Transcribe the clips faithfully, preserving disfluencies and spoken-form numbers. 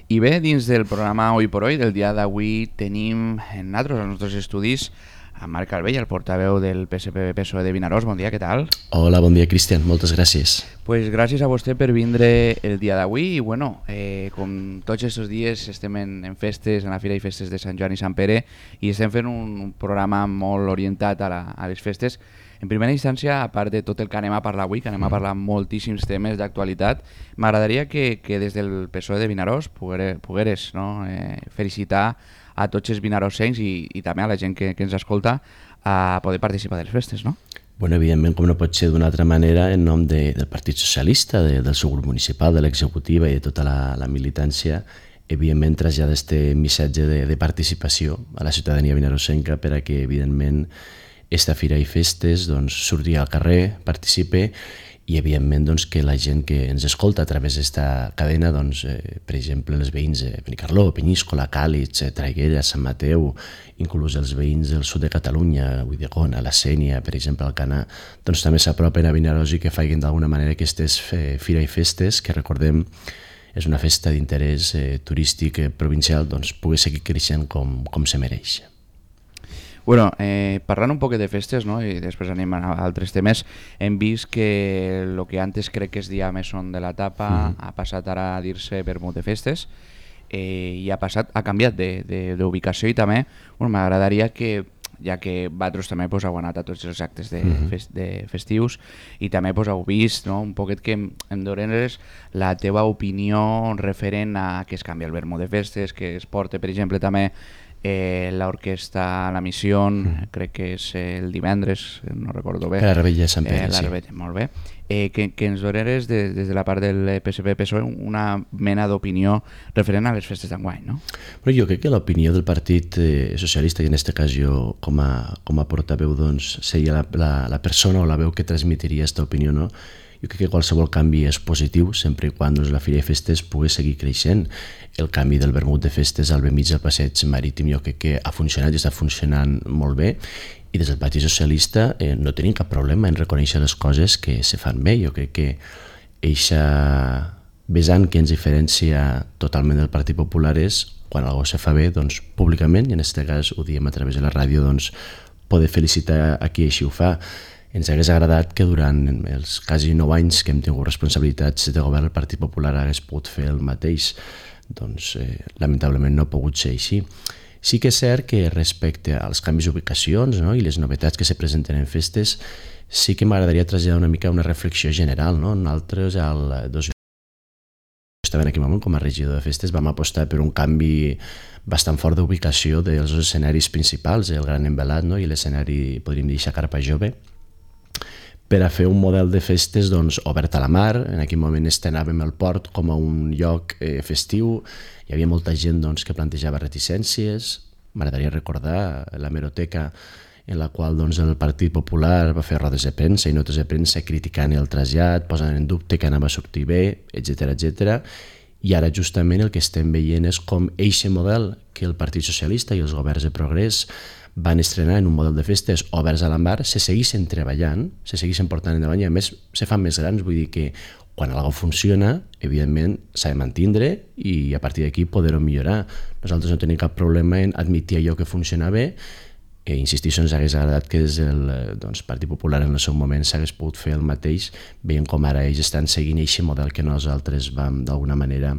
I bé, dins del programa Hoy por Hoy, del dia d'avui, tenim en nosaltres, als nostres estudis, a Marc Albell, el portaveu del P S P P S O E de Vinaròs. Bon dia, què tal? Hola, bon dia, Cristian, moltes gràcies. Pues gràcies a vostè per vindre el dia d'avui i bueno, eh, com tots aquests dies estem en, en festes, en la Fira i Festes de Sant Joan i Sant Pere i estem fent un, un programa molt orientat a, la, a les festes. En primera instància, a part de tot el que anem a parlar avui, que anem a parlar moltíssims temes d'actualitat, m'agradaria que, que des del P S O E de Vinaròs pogueres, pogueres no, eh, felicitar a tots els vinarossencs i, i també a la gent que, que ens escolta a poder participar de les festes, no? Bueno, evidentment, com no pot ser d'una altra manera, en nom de, del Partit Socialista, de, del seu grup municipal, de l'executiva i de tota la, la militància, evidentment traslladar este missatge de, de participació a la ciutadania vinarossenca per a que, evidentment, esta Fira i Festes doncs, surti al carrer, participe i, evidentment, doncs, que la gent que ens escolta a través d'esta cadena, doncs, eh, per exemple, els veïns de Benicarló, Penyíscola, Càlig, Traiguera, Sant Mateu, inclús els veïns del sud de Catalunya, Ulldecona, la Sénia, per exemple, Alcanar, doncs també s'apropen a Vinaròs i que facin d'alguna manera aquestes Fira i Festes, que recordem és una festa d'interès eh, turístic eh, provincial, doncs pugui seguir creixent com, com se mereix. Bueno, eh, parlant un poc de festes, no? I després anem a altres temes, hem vist que el que antes crec que es dia Mesón de la Tapa uh-huh. ha passat ara a dir-se Vermut de Festes eh, i ha passat, ha canviat d'ubicació i també bueno, m'agradaria que, ja que vosaltres també pues, heu anat a tots els actes de, uh-huh. fest, de festius i també pues, heu vist no? un poquet que em dones la teva opinió referent a que es canvia el Vermut de Festes, que es porta, per exemple, també Eh, l'orquestra La Misión, mm. crec que és el divendres, no recordo bé. La Rebella de Sant Pere, eh, la Rebella, sí. Molt bé. Eh, que, que ens doneres de, des de la part del P S P P S O E una mena d'opinió referent a les festes d'enguany, no? Però jo crec que l'opinió del Partit eh, Socialista, i en aquest cas jo com a, com a portaveu, doncs, seria la, la, la persona o la veu que transmitiria aquesta opinió, no? Jo crec que qualsevol canvi és positiu sempre i quan doncs, la Fira i Festes pugui seguir creixent. El canvi del Vermut de Festes al mig del passeig marítim jo crec que ha funcionat i està funcionant molt bé i des del Partit Socialista eh, no tenim cap problema en reconèixer les coses que se fan bé. Jo crec que eixa vessant que ens diferencia totalment del Partit Popular és quan algú se fa bé doncs, públicament, i en aquest cas ho diem a través de la ràdio, doncs, poder felicitar a qui així ho fa. Ens hagués agradat que durant els quasi nou anys que hem tingut responsabilitats de govern el Partit Popular hagués pogut fer el mateix. Doncs eh, lamentablement no ha pogut ser així. Sí que és cert que respecte als canvis d'ubicacions no, i les novetats que se presenten en festes, sí que m'agradaria traslladar una mica una reflexió general. No? Nosaltres, el dos mil en aquell moment com a regidor de festes vam apostar per un canvi bastant fort d'ubicació dels escenaris principals, el Gran Envelat no? I l'escenari, podríem dir, Carpa Jove, per a fer un model de festes doncs, obert a la mar. En aquell moment estrenàvem el port com a un lloc eh, festiu, hi havia molta gent doncs, que plantejava reticències. M'agradaria recordar l'hemeroteca en la qual doncs, el Partit Popular va fer rodes de premsa i notes de premsa criticant el trasllat, posant en dubte que anava a sortir bé, etcètera, etcètera. I ara justament el que estem veient és com eixe model que el Partit Socialista i els governs de progrés van estrenar en un model de festes oberts a la mar, se segueixen treballant, se segueixen portant endavant i a més se fan més grans, vull dir que quan algo funciona, evidentment s'ha de mantindre i a partir d'aquí poder-ho millorar. Nosaltres no tenim cap problema en admitir allò que funciona bé i insistir, ens hagués agradat que des del doncs, Partit Popular en el seu moment s'hagués pogut fer el mateix, veient com ara ells estan seguint aquest model que nosaltres vam d'alguna manera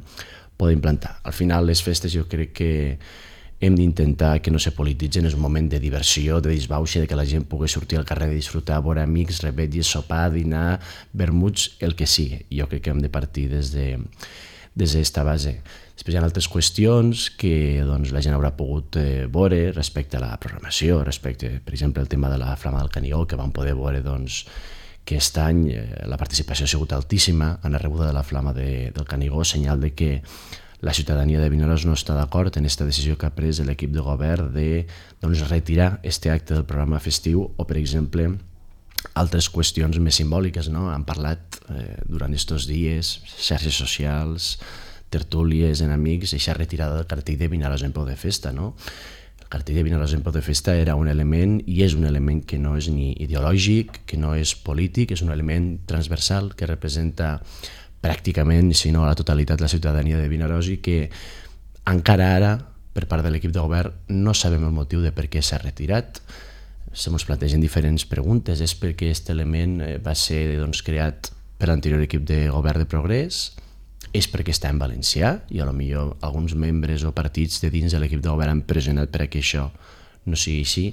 poder implantar. Al final les festes jo crec que hem d'intentar que no se polititzen, és un moment de diversió, de disbauxa, de que la gent pugui sortir al carrer de disfrutar, veure amics, rebetlles, sopar, dinar, vermuts, el que sigui. Jo crec que hem de partir des de des d'esta base. Després hi ha altres qüestions que doncs, la gent haurà pogut eh, veure respecte a la programació, respecte, per exemple, el tema de la Flama del Canigó, que vam poder veure doncs, que aquest any eh, la participació ha sigut altíssima en la rebuda de la Flama de, del Canigó, senyal de que la ciutadania de Vinaròs no està d'acord en aquesta decisió que ha pres l'equip de govern de doncs, retirar aquest acte del programa festiu o, per exemple, altres qüestions més simbòliques. No? Han parlat eh, durant aquests dies, xarxes socials, tertúlies en amics, aquesta retirada del cartell de Vinaròs en peu de festa. No? El cartell de Vinaròs en peu de festa era un element i és un element que no és ni ideològic, que no és polític, és un element transversal que representa pràcticament, si no la totalitat de la ciutadania de Vinaròs, i que encara ara, per part de l'equip de govern, no sabem el motiu de per què s'ha retirat. Se ens plantegen diferents preguntes. És perquè aquest element va ser doncs, creat per l'anterior equip de govern de Progrés? És perquè està en valencià i a lo millor alguns membres o partits de dins de l'equip de govern han pressionat per a que això no sigui així?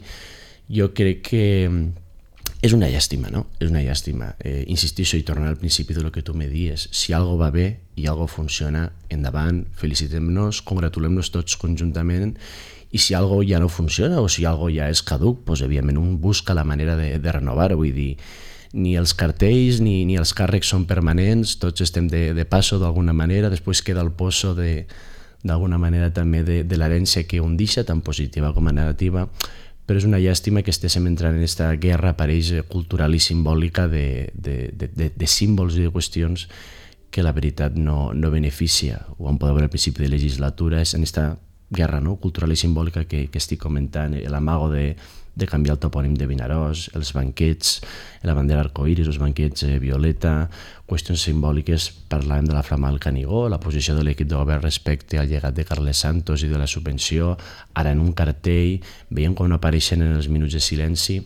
Jo crec que és una llàstima, no? És una llàstima. Eh, insistixo i tornar al principi de lo que tu me dies. Si algo va bé i algo funciona, endavant, felicitem-nos, congratulem-nos tots conjuntament, i si algo ja no funciona o si algo ja és caduc, doncs evidentment un busca la manera de, de renovar-ho. Vull dir, ni els cartells ni, ni els càrrecs són permanents, tots estem de, de passo d'alguna manera, després queda el pozo de, d'alguna manera també de, de l'herència que un deixa, tant positiva com a negativa, però és una llàstima que estéssim entrant en aquesta guerra apareix cultural i simbòlica de, de, de, de, de símbols i de qüestions que la veritat no, no beneficia. Ho vam poder veure al principi de legislatura, és en aquesta guerra, no? Cultural i simbòlica que, que estic comentant, l'amago de, de canviar el topònim de Vinaròs, els banquets, la bandera arcoïris, els banquets eh, violeta, qüestions simbòliques. Parlàvem de la flama del Canigó, la posició de l'equip de govern respecte al llegat de Carles Santos i de la subvenció, ara en un cartell, veiem com no apareixen en els minuts de silenci.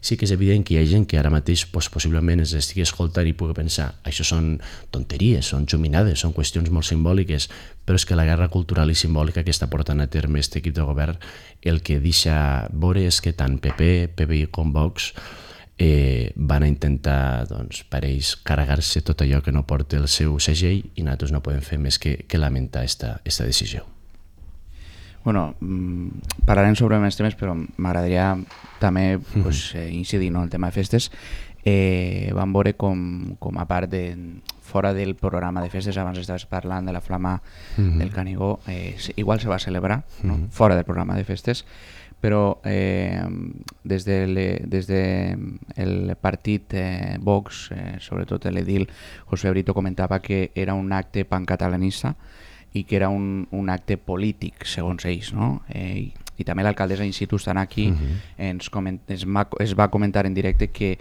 Sí que és evident que hi ha gent que ara mateix pues, possiblement es estigui escoltant i pugui pensar això són tonteries, són xuminades, són qüestions molt simbòliques, però és que la guerra cultural i simbòlica que està portant a terme aquest equip de govern el que deixa veure és que tant P P, P P I com Vox eh, van a intentar, doncs, per ells, carregar-se tot allò que no porta el seu segell i nosaltres no podem fer més que, que lamentar esta, esta decisió. Bueno, parlarem sobre més temes, però m'agradaria també pues, eh, incidir en el tema de festes. Eh, vam veure com, com a part de fora del programa de festes, abans estaves parlant de la flama mm-hmm. del Canigó, eh, igual se va celebrar, no? Mm-hmm. Fora del programa de festes, però eh, des, de le, des de el partit eh, Vox, eh, sobretot l'edil José Brito comentava que era un acte pancatalanista i que era un, un acte polític, segons ells, no? Eh, i, i també l'alcaldessa in situ estant aquí, uh-huh. ens coment, es, va, es va comentar en directe que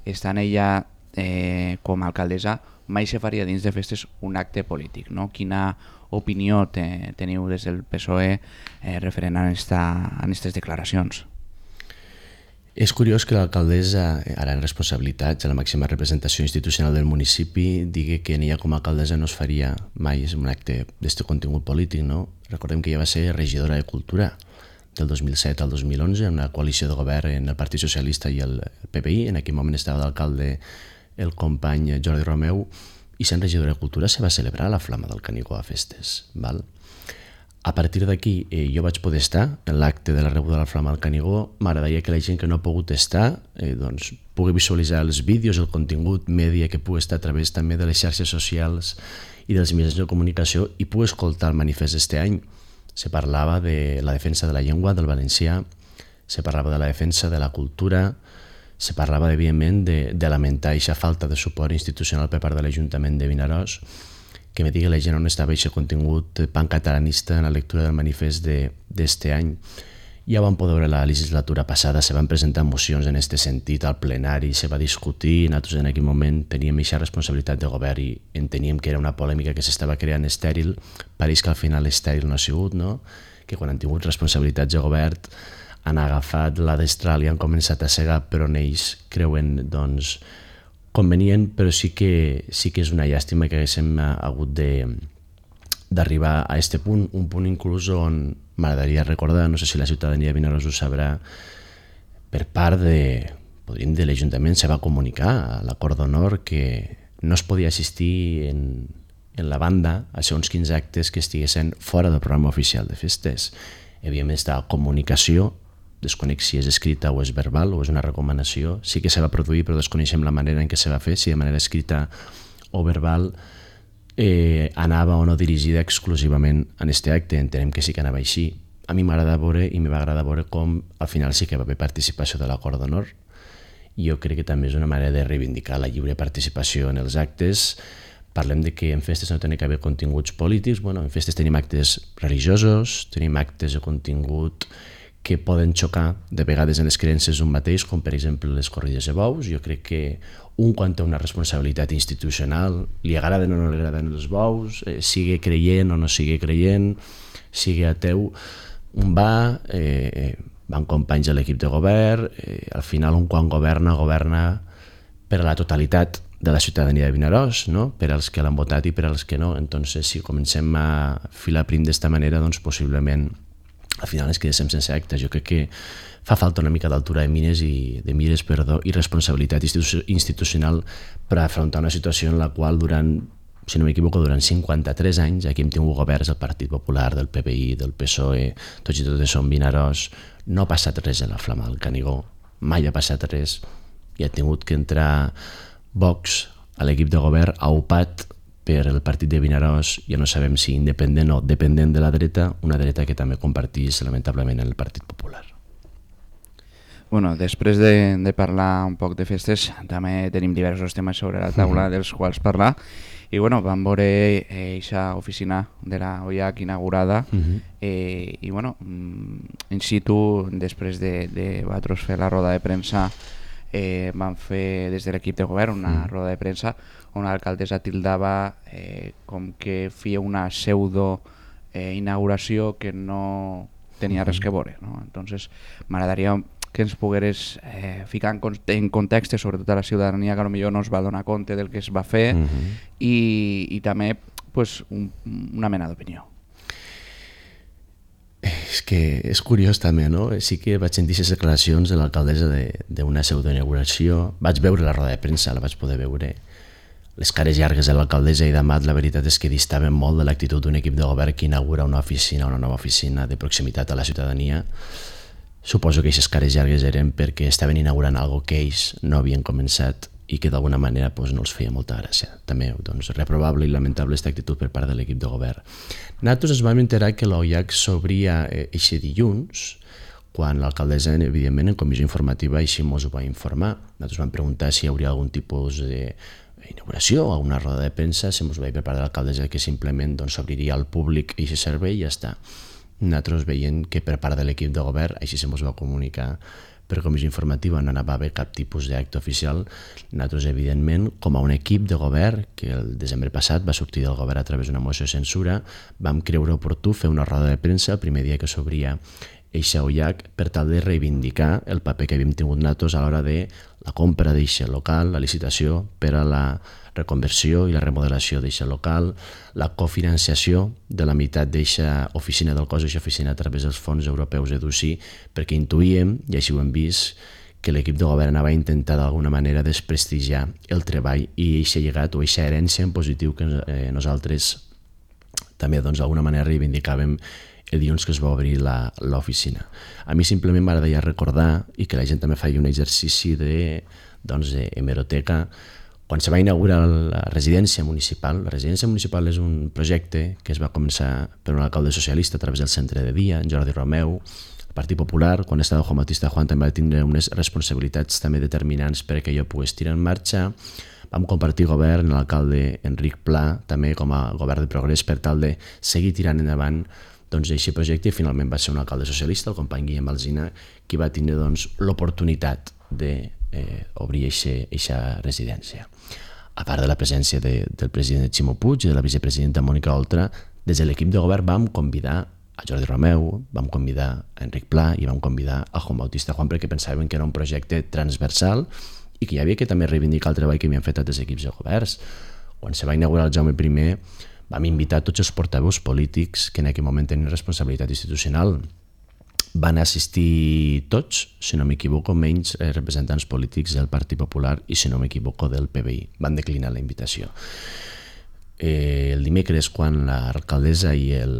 estant ella eh, com a alcaldessa mai se faria dins de festes un acte polític, no? Quina opinió te, teniu des del P S O E eh, referent a aquestes declaracions? És curiós que l'alcaldessa, ara en responsabilitats, a la màxima representació institucional del municipi, digui que en ella com a alcaldessa no es faria mai un acte d'aquest contingut polític, no? Recordem que ella va ser regidora de Cultura del dos mil set al dos mil onze, en una coalició de govern en el Partit Socialista i el P P I. En aquell moment estava d'alcalde el company Jordi Romeu, i sent regidora de Cultura se va celebrar la flama del Canigó a festes, val? A partir d'aquí eh, jo vaig poder estar en l'acte de la rebuda de la flama del Canigó. M'agradaria que la gent que no ha pogut estar eh, doncs, pugui visualitzar els vídeos, el contingut mèdia que pugui estar a través també de les xarxes socials i dels mitjans de comunicació i pugui escoltar el manifest d'este any. Se parlava de la defensa de la llengua, del valencià, se parlava de la defensa de la cultura, se parlava, evidentment, de, de lamentar aquesta falta de suport institucional per part de l'Ajuntament de Vinaròs, que me digui la gent on estava aquest contingut pancatalanista en la lectura del manifest d'este de, any. Ja vam poder veure la legislatura passada, se van presentar mocions en aquest sentit al plenari, se va discutir, nosaltres en aquell moment teníem aquesta responsabilitat de govern i enteníem que era una polèmica que s'estava creant estèril. Pareix que al final estèril no ha sigut, no? Que quan han tingut responsabilitats de govern han agafat la destral i han començat a segar, però en ells creuen, doncs, convenient, però sí que, sí que és una llàstima que haguéssim hagut d'arribar a aquest punt, un punt inclús on m'agradaria recordar, no sé si la ciutadania de Vinaròs ho sabrà, per part de, podríem dir, l'Ajuntament se va comunicar a l'acord d'honor que no es podia assistir en, en la banda a segons quins actes que estiguessin fora del programa oficial de festes. Evidentment, aquesta comunicació, desconec si és escrita o és verbal o és una recomanació, sí que se va produir però desconeixem la manera en què se va fer, si de manera escrita o verbal eh, anava o no dirigida exclusivament en aquest acte. Entenem que sí que anava així. A mi m'agrada veure i m'ha agradat veure com al final sí que va haver participació de l'acord d'honor. Jo crec que també és una manera de reivindicar la lliure participació en els actes. Parlem de que en festes no tenen que haver continguts polítics. Bueno, en festes tenim actes religiosos, tenim actes de contingut que poden xocar de vegades en les creences d'un mateix, com per exemple les corrides de bous. Jo crec que un quan té una responsabilitat institucional, li agraden o no li agraden els bous, eh, sigui creient o no sigui creient, sigui ateu, un va, eh, van companys de l'equip de govern, eh, al final un quan governa, governa per a la totalitat de la ciutadania de Vinaròs, no? Per als que l'han votat i per als que no. Entonces, si comencem a filar prim d'esta manera, doncs possiblement al final es quedéssim sense actes. Jo crec que fa falta una mica d'altura de mires i de mires, perdó, i responsabilitat institu institucional per afrontar una situació en la qual durant, si no m'equivoco, durant cinquanta-tres anys aquí hem tingut governs del Partit Popular, del P P I, del P S O E, tots i totes són Vinaròs, no ha passat res en la Flama del Canigó, mai ha passat res, i ha tingut que entrar Vox a l'equip de govern aupat per el partit de Vinaròs, ja no sabem si independent o dependent de la dreta, una dreta que també compartís lamentablement en el Partit Popular. Bueno, després de, de parlar un poc de festes, també tenim diversos temes sobre la taula uh-huh. dels quals parlar, i bueno, vam veure aquesta eh, oficina de la O I A C inaugurada, uh-huh. eh, i bueno, in situ, després de, de vosaltres fer la roda de premsa, eh, van fer des de l'equip de govern una uh-huh. roda de premsa on l'alcaldessa tildava eh, com que feia una pseudo eh, inauguració que no tenia res que veure, no? Entonces m'agradaria que ens pogueres eh, ficar en, en context, sobretot a la ciutadania que potser no es va donar compte del que es va fer, uh-huh. i, i també pues, un, una mena d'opinió. És que és curiós també, no? Sí que vaig sentir les declaracions de l'alcaldessa d'una pseudoinauguració, vaig veure la roda de premsa, la vaig poder veure. Les cares llargues de l'alcaldessa i d'Amat, la veritat és que distaven molt de l'actitud d'un equip de govern que inaugura una oficina, una nova oficina de proximitat a la ciutadania. Suposo que aquestes cares llargues eren perquè estaven inaugurant algo que ells no havien començat i que d'alguna manera doncs, no els feia molta gràcia. També doncs, reprovable i lamentable aquesta actitud per part de l'equip de govern. Nosaltres ens vam enterar que l'O I A C s'obria aquest eh, dilluns, quan l'alcaldessa, evidentment, en comissió informativa així ens ho va informar. Nosaltres vam preguntar si hi hauria algun tipus de inauguració o alguna roda de premsa, se ens va dir per part de l'alcaldessa que simplement s'obriria al públic aquest servei i ja està. Nosaltres veient que per part de l'equip de govern, així se ens va comunicar per comissió informativa, no anava a haver cap tipus d'acte oficial. Nosaltres, evidentment, com a un equip de govern, que el desembre passat va sortir del govern a través d'una moció de censura, vam creure oportú fer una roda de premsa el primer dia que s'obria eixa O I A C per tal de reivindicar el paper que havíem tingut nosaltres a l'hora de la compra d'eixe local, la licitació per a la reconversió i la remodelació d'eixe local, la cofinanciació de la meitat d'eixa oficina del cos, eixa oficina a través dels fons europeus EDUSI, perquè intuïem, i així ho hem vist, que l'equip de govern anava a intentar d'alguna manera desprestigiar el treball i eixa llegat o eixa herència en positiu que eh, nosaltres també doncs, d'alguna manera reivindicàvem el dilluns que es va obrir l'oficina. A mi simplement m'agradaria recordar, i que la gent també faci un exercici de, doncs, de hemeroteca, quan se va inaugurar la residència municipal. La residència municipal és un projecte que es va començar per un alcalde socialista a través del centre de dia, en Jordi Romeu. El Partit Popular, quan estava Juan Bautista Juan, també va tindre unes responsabilitats també determinants perquè jo pogués tirar en marxa. Vam compartir govern amb l'alcalde Enric Pla, també com a govern de progrés, per tal de seguir tirant endavant doncs, aquest projecte, i finalment va ser un alcalde socialista, el company Guillem Alsina, qui va tindre doncs, l'oportunitat d'obrir eh, aquesta residència. A part de la presència de, del president Ximo Puig i de la vicepresidenta Mònica Oltra, des de l'equip de govern vam convidar a Jordi Romeu, vam convidar a Enric Pla i vam convidar a Juan Bautista Juan perquè pensàvem que era un projecte transversal i que hi havia que també reivindicar el treball que havien fet altres equips de governs. Quan se va inaugurar el Jaume primer, vam invitar tots els portaveus polítics que en aquell moment tenien responsabilitat institucional. Van assistir tots, si no m'equivoco, menys representants polítics del Partit Popular i, si no m'equivoco, del P B I. Van declinar la invitació. Eh, el dimecres, quan l'alcaldessa i el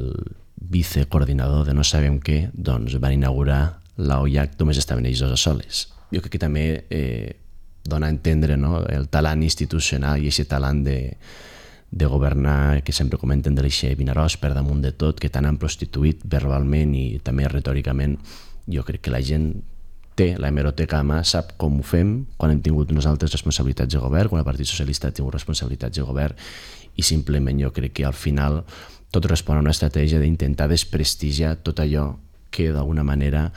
vicecoordinador de no sabem què doncs van inaugurar la O I A C, només estaven ells dos a soles. Jo crec que també eh, dona a entendre, no?, el talent institucional i aquest talent de de governar, que sempre comenten de l'eixe Vinaròs per damunt de tot, que tant han prostituït verbalment i també retòricament. Jo crec que la gent té la hemeroteca a mà, sap com ho fem, quan hem tingut nosaltres responsabilitats de govern, quan el Partit Socialista ha tingut responsabilitats de govern, i simplement jo crec que al final tot respon a una estratègia d'intentar desprestigiar tot allò que d'alguna manera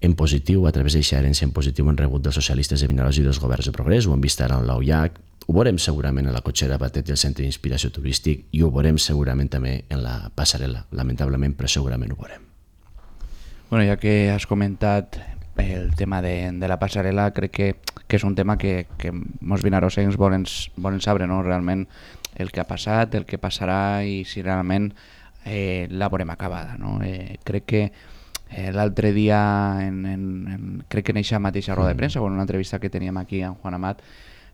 en positiu, a través d'aquesta herència en positiu, han rebut dels socialistes de Vinaròs i dels governs de progrés. Ho hem vist ara en l'Auiac, ho veurem segurament en la cotxera Batet i el centre d'inspiració turístic, i ho veurem segurament també en la passarel·la. Lamentablement, però segurament ho veurem. Bueno, ja que has comentat el tema de, de la passarel·la, crec que, que és un tema que, que molts vinarossencs volen, volen saber, no? Realment el que ha passat, el que passarà i si realment eh, la veurem acabada, no? Eh, crec que Eh, l'altre dia, en, en, en, crec que en aquesta mateixa roda de premsa, o en una entrevista que teníem aquí amb Juan Amat,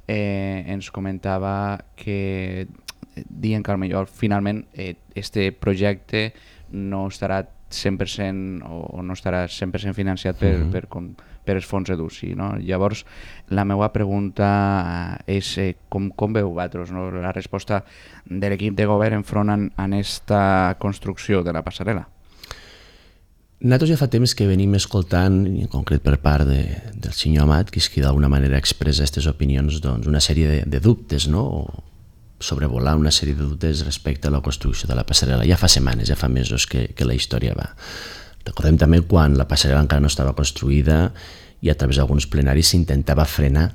eh, ens comentava que dient que potser finalment eh, este projecte no estarà cent per cent o, o no estarà cent per cent financiat per, uh-huh. per, com, per els fons EDUCI, no? Llavors, la meva pregunta és eh, com, com veu vosaltres, no? La resposta de l'equip de govern enfront en, en esta construcció de la passarel·la? Nosaltres ja fa temps que venim escoltant, i en concret per part de, del senyor Amat, que és qui d'alguna manera expressa aquestes opinions, doncs, una sèrie de, de dubtes, no? O sobrevolar una sèrie de dubtes respecte a la construcció de la passarel·la. Ja fa setmanes, ja fa mesos que, que la història va. Recordem també quan la passarel·la encara no estava construïda i a través d'alguns plenaris s'intentava frenar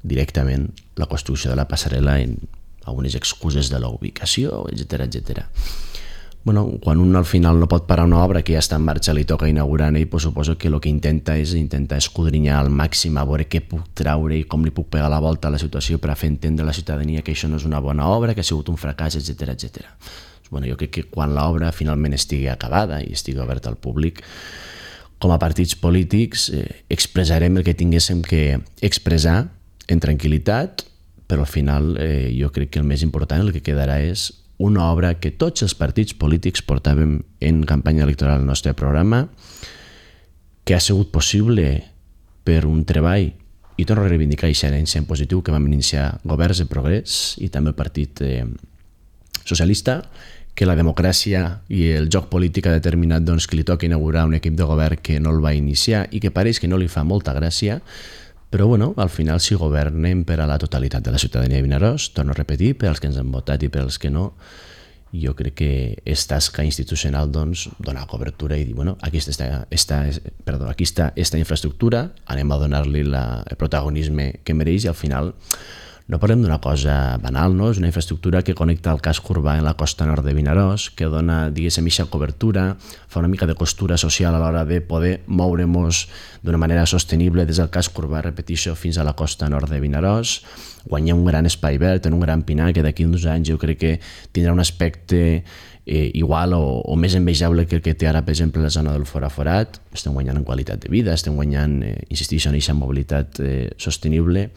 directament la construcció de la passarel·la en algunes excuses de la ubicació, etcètera, etcètera. Bueno, quan un al final no pot parar una obra que ja està en marxa, li toca inaugurar i pues, suposo que el que intenta és intentar escudrinyar al màxim a veure què puc traure i com li puc pegar la volta a la situació per a fer entendre a la ciutadania que això no és una bona obra, que ha sigut un fracàs, etcètera, etcètera. Bueno, jo crec que quan l'obra finalment estigui acabada i estigui oberta al públic, com a partits polítics eh, expressarem el que tinguéssim que expressar en tranquil·litat, però al final eh, jo crec que el més important, el que quedarà és una obra que tots els partits polítics portàvem en campanya electoral al nostre programa, que ha sigut possible per un treball, i torno a reivindicar aquesta herència en positiu, que vam iniciar governs de progrés i també el Partit eh, Socialista, que la democràcia i el joc polític ha determinat doncs, que li toca inaugurar un equip de govern que no el va iniciar i que pareix que no li fa molta gràcia, però bueno, al final si governem per a la totalitat de la ciutadania de Vinaròs, torno a repetir, per als que ens han votat i per als que no, jo crec que és tasca institucional doncs, donar cobertura i dir, bueno, aquí està, està, perdó, aquí està esta infraestructura, anem a donar-li la, el protagonisme que mereix i al final no parlem d'una cosa banal, no? És una infraestructura que connecta el casc urbà en la costa nord de Vinaròs, que dona, diguéssim, eixa cobertura, fa una mica de costura social a l'hora de poder moure-nos d'una manera sostenible des del casc urbà, repeteixo, fins a la costa nord de Vinaròs, guanyar un gran espai verd, en un gran pinar, que d'aquí uns anys jo crec que tindrà un aspecte eh, igual o, o més envejable que el que té ara, per exemple, la zona del Foraforat. Estem guanyant en qualitat de vida, estem guanyant, eh, insisteixo, en eixa mobilitat eh, sostenible.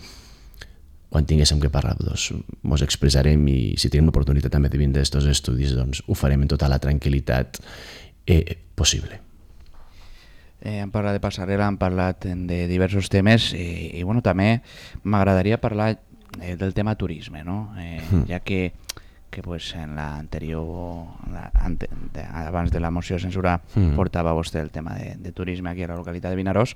Quan tinguéssim que parlar, doncs, mos expressarem i si tenim l'oportunitat també de vindre aquests estudis, doncs ho farem en tota la tranquil·litat eh, possible. Eh, hem parlat de passarel·la, hem parlat de diversos temes i, i bueno, també m'agradaria parlar eh, del tema turisme, no? Eh, mm. Ja que, que pues, en l'anterior, la, ante, de, abans de la moció de censura, mm. portava vostè el tema de, de turisme aquí a la localitat de Vinaròs,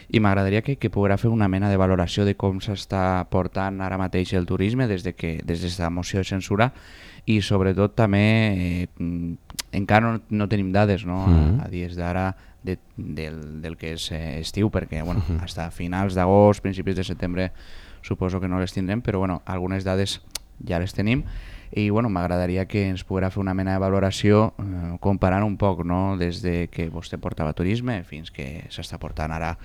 i m'agradaria que, que poguera fer una mena de valoració de com s'està portant ara mateix el turisme des de que des d'aquesta moció de censura i sobretot també eh, encara no, no tenim dades, no? Mm-hmm. a, a dies d'ara de, del, del que és eh, estiu, perquè bueno, mm-hmm. fins a finals d'agost, principis de setembre suposo que no les tindrem, però bueno, algunes dades ja les tenim i bueno, m'agradaria que ens poguera fer una mena de valoració eh, comparant un poc, no? Des de que vostè portava turisme fins que s'està portant ara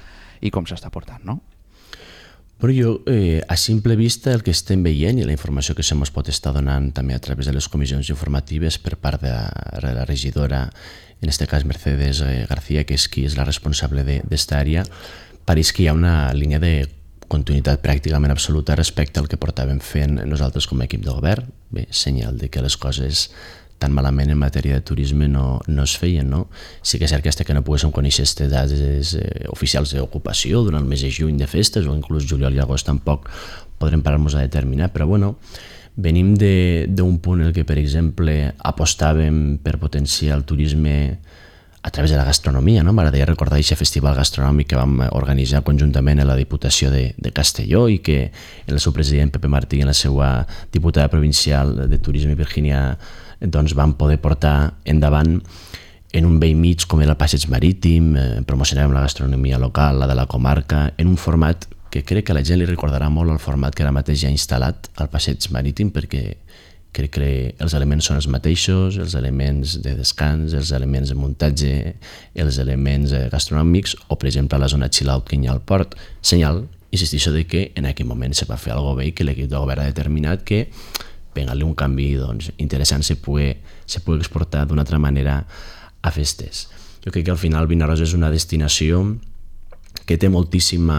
i com s'està portant, no? Però jo, eh, a simple vista, el que estem veient i la informació que se mos pot estar donant també a través de les comissions informatives per part de la, de la regidora, en aquest cas Mercedes García, que és qui és la responsable d'esta àrea, pareix que hi ha una línia de continuïtat pràcticament absoluta respecte al que portàvem fent nosaltres com a equip de govern. Bé, senyal de que les coses tan malament en matèria de turisme no, no es feien, no? Sí que és cert que fins que no poguéssim conèixer aquestes dades eh, oficials d'ocupació durant el mes de juny de festes o inclús juliol i agost tampoc podrem parar-nos a determinar, però bueno, venim d'un punt en què, per exemple, apostàvem per potenciar el turisme a través de la gastronomia, no? M'agradaria recordar aquest festival gastronòmic que vam organitzar conjuntament a la Diputació de, de Castelló i que el seu president Pepe Martí i la seva diputada provincial de Turisme Virgínia doncs van poder portar endavant en un vell mig com era el Passeig Marítim, eh, promocionarem la gastronomia local, la de la comarca, en un format que crec que a la gent li recordarà molt el format que ara mateix ja ha instal·lat al Passeig Marítim, perquè crec que els elements són els mateixos, els elements de descans, els elements de muntatge, els elements gastronòmics, o per exemple a la zona chill-out que hi ha al port. Senyal, insistixo, de que en aquell moment se va fer alguna cosa bé i que l'equip de govern ha determinat que pegant-li un canvi doncs, interessant se pugui, se pugui exportar d'una altra manera a festes. Jo crec que al final Vinaròs és una destinació que té moltíssima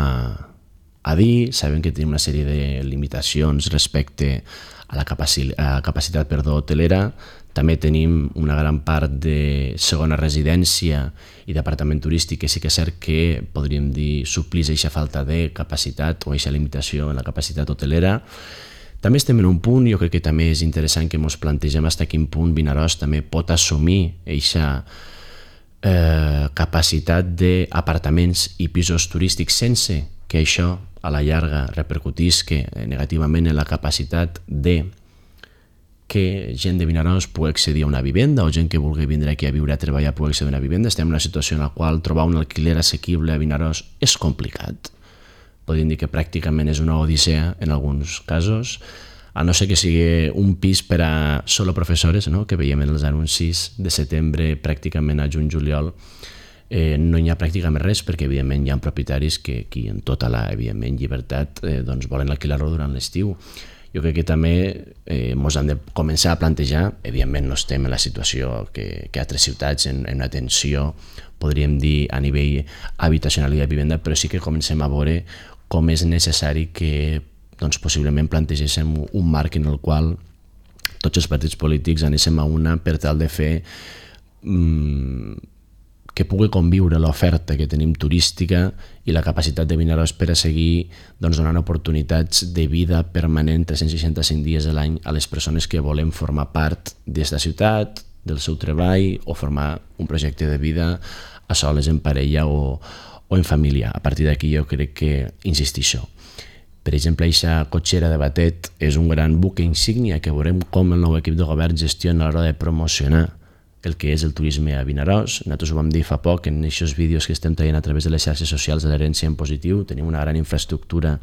a dir. Sabem que tenim una sèrie de limitacions respecte a la capaci- a capacitat perdó, hotelera. També tenim una gran part de segona residència i d'apartament turístic que sí que és cert que podríem dir suplís aquesta falta de capacitat o aquesta limitació en la capacitat hotelera. També estem en un punt, jo crec que també és interessant que ens plantegem fins a quin punt Vinaròs també pot assumir aquesta eh, capacitat d'apartaments i pisos turístics sense que això a la llarga repercutisca negativament en la capacitat de que gent de Vinaròs pugui accedir a una vivenda o gent que vulgui vindre aquí a viure a treballar pugui accedir a una vivenda. Estem en una situació en la qual trobar un alquiler assequible a Vinaròs és complicat. Podríem dir que pràcticament és una odissea en alguns casos, a no ser que sigui un pis per a solo professores, no? Que veiem en els anuncis de setembre pràcticament a juny-juliol. Eh, no hi ha pràcticament res perquè evidentment hi ha propietaris que aquí en tota la evidentment llibertat eh, doncs volen alquilar-lo durant l'estiu. Jo crec que també eh, ens hem de començar a plantejar, evidentment no estem en la situació que, que altres ciutats en, en una tensió, podríem dir a nivell habitacional i de vivenda, però sí que comencem a veure com és necessari que doncs, possiblement plantegéssim un marc en el qual tots els partits polítics anéssim a una per tal de fer mmm, que pugui conviure l'oferta que tenim turística i la capacitat de Vinaròs per a seguir doncs, donant oportunitats de vida permanent tres-cents seixanta-cinc dies a l'any a les persones que volem formar part d'esta ciutat, del seu treball o formar un projecte de vida a soles, en parella o, o en família. A partir d'aquí jo crec que insistixo. Per exemple, aquesta cotxera de Batet és un gran buque insígnia que veurem com el nou equip de govern gestiona a l'hora de promocionar el que és el turisme a Vinaròs. Nosaltres ho vam dir fa poc en aquests vídeos que estem traient a través de les xarxes socials de l'herència en positiu. Tenim una gran infraestructura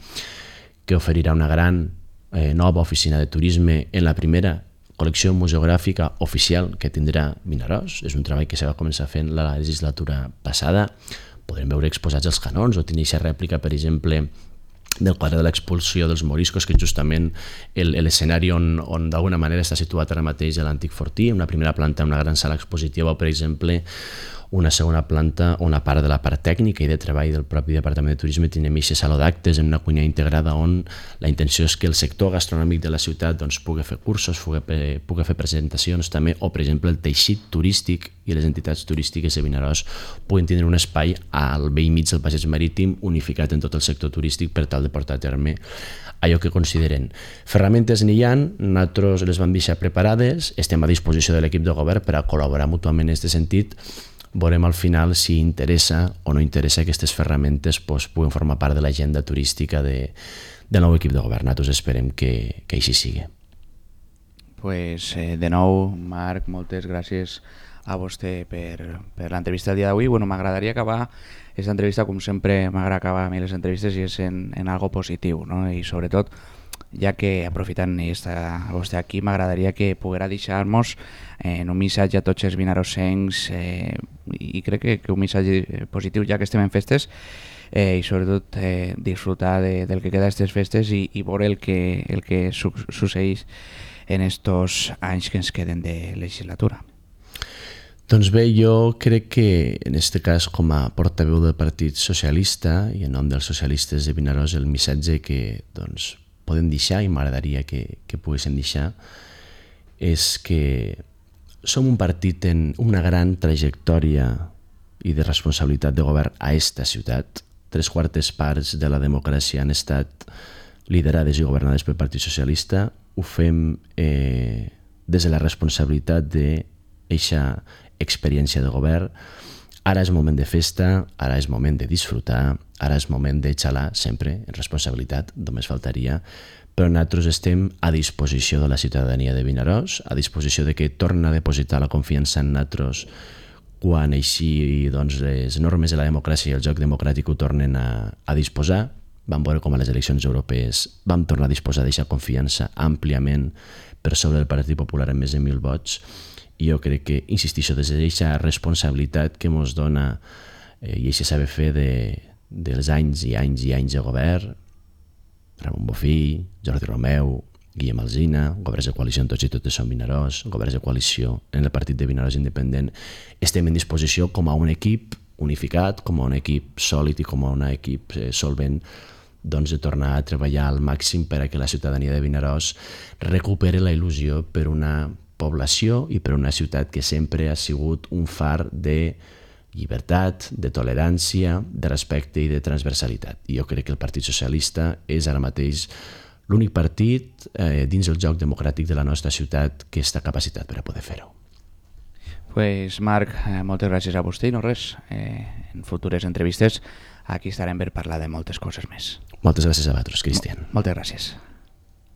que oferirà una gran eh, nova oficina de turisme en la primera col·lecció museogràfica oficial que tindrà Vinaròs. És un treball que se va començar fent la legislatura passada. Podrem veure exposats els canons o tenir aquesta rèplica, per exemple, del quadre de l'expulsió dels moriscos, que és justament l'escenari on, on d'alguna manera està situat ara mateix a l'antic fortí, una primera planta, una gran sala expositiva, o per exemple una segona planta on a part de la part tècnica i de treball del propi Departament de Turisme tenim aquest saló d'actes en una cuina integrada on la intenció és que el sector gastronòmic de la ciutat doncs, pugui fer cursos, pugui, pugui fer presentacions també, o per exemple el teixit turístic i les entitats turístiques de Vinaròs puguin tindre un espai al vell mig del Passeig Marítim unificat en tot el sector turístic per tal de portar a terme allò que consideren. Ferramentes n'hi ha, nosaltres les vam deixar preparades, estem a disposició de l'equip de govern per a col·laborar mútuament en aquest sentit. Veurem al final si interessa o no interessa que aquestes ferramentes pues, puguen formar part de l'agenda turística de, del nou equip de govern. Nosaltres esperem que, que així sigui. Pues, eh, de nou, Marc, moltes gràcies a vostè per, per l'entrevista del dia d'avui. Bueno, m'agradaria acabar aquesta entrevista, com sempre m'agrada acabar a mi les entrevistes, i és en, en algo positiu, no? I sobretot, ja que aprofitant estar vostè aquí, m'agradaria que poguera deixar-nos eh, un missatge a tots els vinarossencs eh, i crec que, que un missatge positiu ja que estem en festes eh, i sobretot eh, disfrutar de, del que queda d'aquestes festes i, i veure el que, el que su succeeix en estos anys que ens queden de legislatura. Doncs bé, jo crec que en aquest cas com a portaveu del Partit Socialista i en nom dels socialistes de Vinaròs el missatge que doncs, podem deixar i m'agradaria que, que poguéssim deixar és que som un partit en una gran trajectòria i de responsabilitat de govern a esta ciutat. Tres quartes parts de la democràcia han estat liderades i governades pel Partit Socialista. Ho fem eh, des de la responsabilitat d'eixa experiència de govern. Ara és moment de festa, ara és moment de disfrutar, ara és moment de xalar sempre en responsabilitat, només faltaria, però nosaltres estem a disposició de la ciutadania de Vinaròs, a disposició de que torna a depositar la confiança en nosaltres quan així doncs, les normes de la democràcia i el joc democràtic ho tornen a, a disposar. Vam veure com a les eleccions europees vam tornar a disposar d'aquesta confiança àmpliament per sobre del Partit Popular amb més de mil vots. I jo crec que, insistixo, des d'aquesta responsabilitat que ens dona eh, i aquest saber fer de, dels anys i anys i anys de govern, Ramon Bofill, Jordi Romeu, Guillem Alsina, governs de coalició en Tots i Totes som Vinaròs, governs de coalició en el partit de Vinaròs Independent, estem en disposició com a un equip unificat, com a un equip sòlid i com a un equip eh, solvent, doncs de tornar a treballar al màxim per a que la ciutadania de Vinaròs recuperi la il·lusió per una població i per una ciutat que sempre ha sigut un far de llibertat, de tolerància, de respecte i de transversalitat. I jo crec que el Partit Socialista és ara mateix l'únic partit eh, dins el joc democràtic de la nostra ciutat que està capacitat per a poder fer-ho. Pues Marc, eh, moltes gràcies a vostè i no res, eh, en futures entrevistes aquí estarem per parlar de moltes coses més. Moltes gràcies a vosaltres, Cristian. Moltes gràcies.